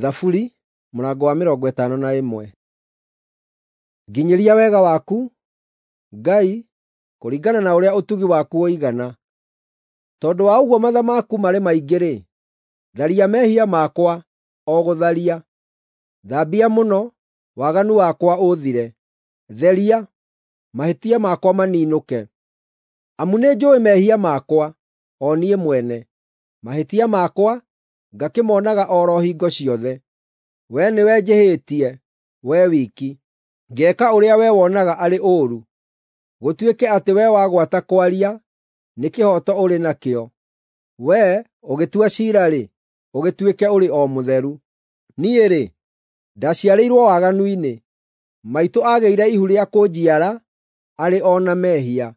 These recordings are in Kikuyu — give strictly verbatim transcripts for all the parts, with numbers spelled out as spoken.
Thaburi mũrango wa mĩrongo ĩtano na ĩmwe. Nginyĩria wega waku, Ngai, kũringana na ũrĩa ũtugi waku ũigana. Tondũ wa ũguo matha maku marĩ maingĩ-rĩ, tharia mehia makwa o gũtharia. Thambia mũno, waganu wakwa ũthire; theria, mahĩtia makwa maninũke. Amu nĩnjũũĩ mehia makwa, o niĩ mwene; mahĩtia makwa ngakĩmonaga o ro hingo ciothe. Wee nĩwe njĩhĩtie, wee wiki, ngeeka ũrĩa wee wonaga arĩ ũũru, gũtuĩke atĩ wee wagwata kwaria nĩ kĩhooto ũrĩ nakĩo, wee ũgĩtua ciira-rĩ, ũgĩtuĩke ũrĩ o mũtheru. Niĩ-rĩ, ndaciarĩirwo waganu-inĩ, maitũ aagĩire ihu rĩa kũnjiara arĩ o na mehia.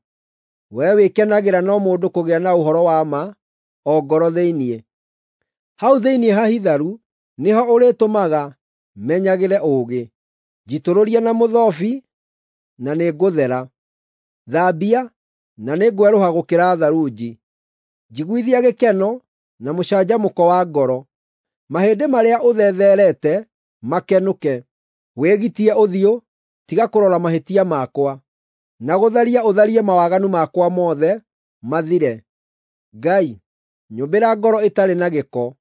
Wee wĩkenagĩra no mũndũ kũgĩa na ũhoro wa ma o ngoro thĩinĩ. Hau thĩinĩ hahitharu nĩho ũrĩtũmaga menyagĩre ũũgĩ. Njitũrũria na mũthobi, na nĩngũthera; thambia, na nĩngwerũha gũkĩra tharunji. Njiguithia gĩkeno na mũcanjamũko wa ngoro, mahĩndĩ marĩa ũthetherete makenũke. Wĩgitie ũthiũ, tiga kũrora mahĩtia makwa, na gũtharia ũtharie mawaganu makwa mothe mathire. Ngai, nyũmbĩra ngoro ĩtarĩ na gĩko;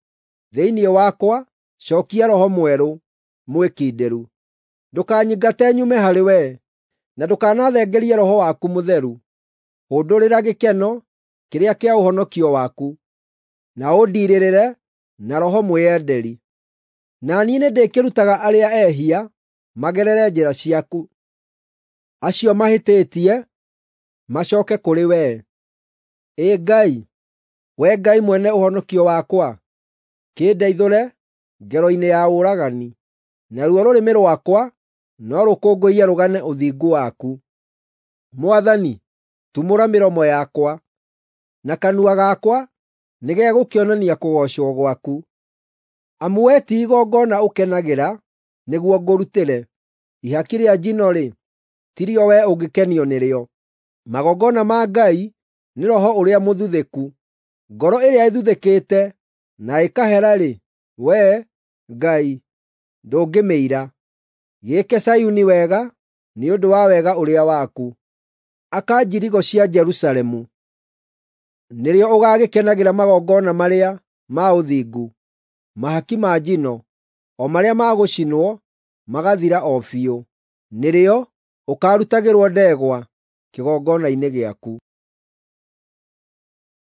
thĩinĩ wakwa cookia roho mwerũ, mwĩkindĩru. Ndũkanyingate nyume harĩ wee, na ndũkanathengerie Roho waku Mũtheru. Hũndũrĩra gĩkeno kĩrĩa kĩa ũhonokio waku, na ũndiirĩrĩre na roho mwĩyenderi. Na niĩ nĩndĩkĩrutaga arĩa ehia magerere njĩra ciaku, acio mahĩtĩtie macooke kũrĩ wee. Ĩ Ngai, Wee Ngai mwene ũhonokio wakwa, kĩndeithũre ngero-inĩ ya ũragani, naruo rũrĩmĩ rwakwa no rũkũngũiye rũgane ũthingu waku. Mwathani, tumũra mĩromo yakwa, na kanua gakwa nĩgegũkĩonania kũgoocwo gwaku. Amu wee ti igongona ũkenagĩra nĩguo ngũrutĩre; ihaki rĩa njino-rĩ, ti rĩo wee ũngĩkenio nĩrĩo. Magongona ma Ngai nĩ roho ũrĩa mũthuthĩku; ngoro ĩrĩa ĩthuthĩkĩte na ĩkahera-rĩ, wee, Ngai, ndũngĩmĩira. Gĩĩke Zayuni wega nĩ ũndũ wa wega ũrĩa waku; aka njirigo cia Jerusalemu. Nĩrĩo ũgaagĩkenagĩra magongona marĩa ma ũthingu, mahaki ma njino, o marĩa ma gũcinwo magathira o biũ. Nĩrĩo ũkaarutagĩrwo ndegwa kĩgongona-inĩ gĩaku.